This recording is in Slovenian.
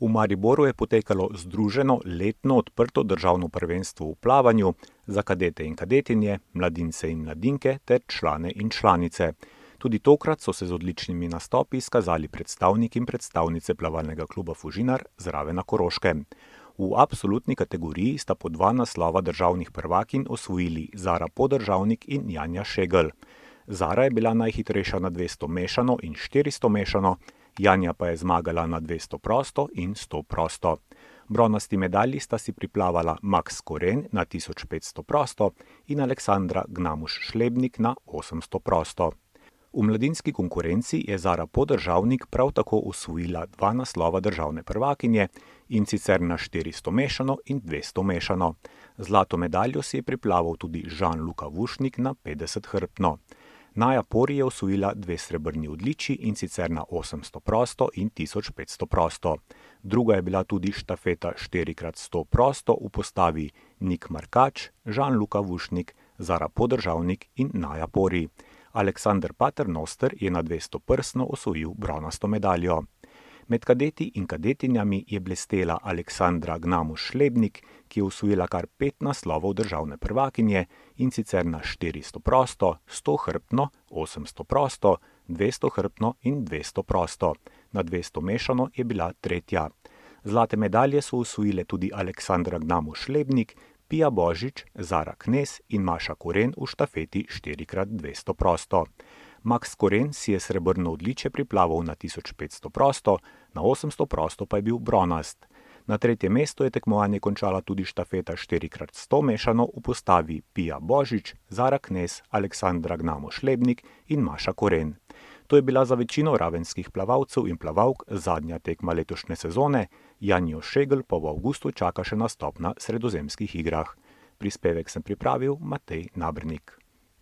V Mariboru je potekalo združeno letno odprto državno prvenstvo v plavanju za kadete in kadetinje, mladince in mladinke ter člane in članice. Tudi tokrat so se z odličnimi nastopi izkazali predstavniki in predstavnice plavalnega kluba Fužinar z Rave na Koroškem. V absolutni kategoriji sta po 2 naslova državnih prvakinj osvojili Zara Podržavnik in Janja Šegl. Zara je bila najhitrejša na 200 mešano in 400 mešano, Janja pa je zmagala na 200 prosto in 100 prosto. Bronasti medalji sta si priplavala Max Koren na 1500 prosto in Aleksandra Gnamuš-Šlebnik na 800 prosto. V mladinski konkurenci je Zara Podržavnik prav tako osvojila 2 naslova državne prvakinje, in sicer na 400 mešano in 200 mešano. Zlato medaljo si je priplaval tudi Žan-Luka Vušnik na 50 hrbtno. Naja Pori je osvojila 2 srebrni odličji, in sicer na 800 prosto in 1500 prosto. Druga je bila tudi štafeta 4x100 prosto v postavi Nik Markač, Žan-Luka Vušnik, Zara Podržavnik in Naja Pori. Aleksander Paternoster je na 200 prsno osvojil bronasto medaljo. Med kadeti in kadetinjami je blestela Aleksandra Gnamuš-Šlebnik, ki je osvojila kar 5 naslovov državne prvakinje, in sicer na 400 prosto, 100 hrbtno, 800 prosto, 200 hrbtno in 200 prosto. Na 200 mešano je bila tretja. Zlate medalje so osvojile tudi Aleksandra Gnamuš-Šlebnik, Pija Božič, Zara Knez in Maša Koren v štafeti 4x200 prosto. Max Koren si je srebrno odličje priplaval na 1500 prosto, na 800 prosto pa je bil bronast. Na 3. mestu je tekmovanje končala tudi štafeta 4x100 mešano v postavi Pija Božič, Zara Knez, Aleksandra Gnamuš-Šlebnik in Maša Koren. To je bila za večino ravenskih plavalcev in plavalk zadnja tekma letošnje sezone, Janjo Šegl pa v avgustu čaka še nastop na sredozemskih igrah. Prispevek sem pripravil Matej Nabernik.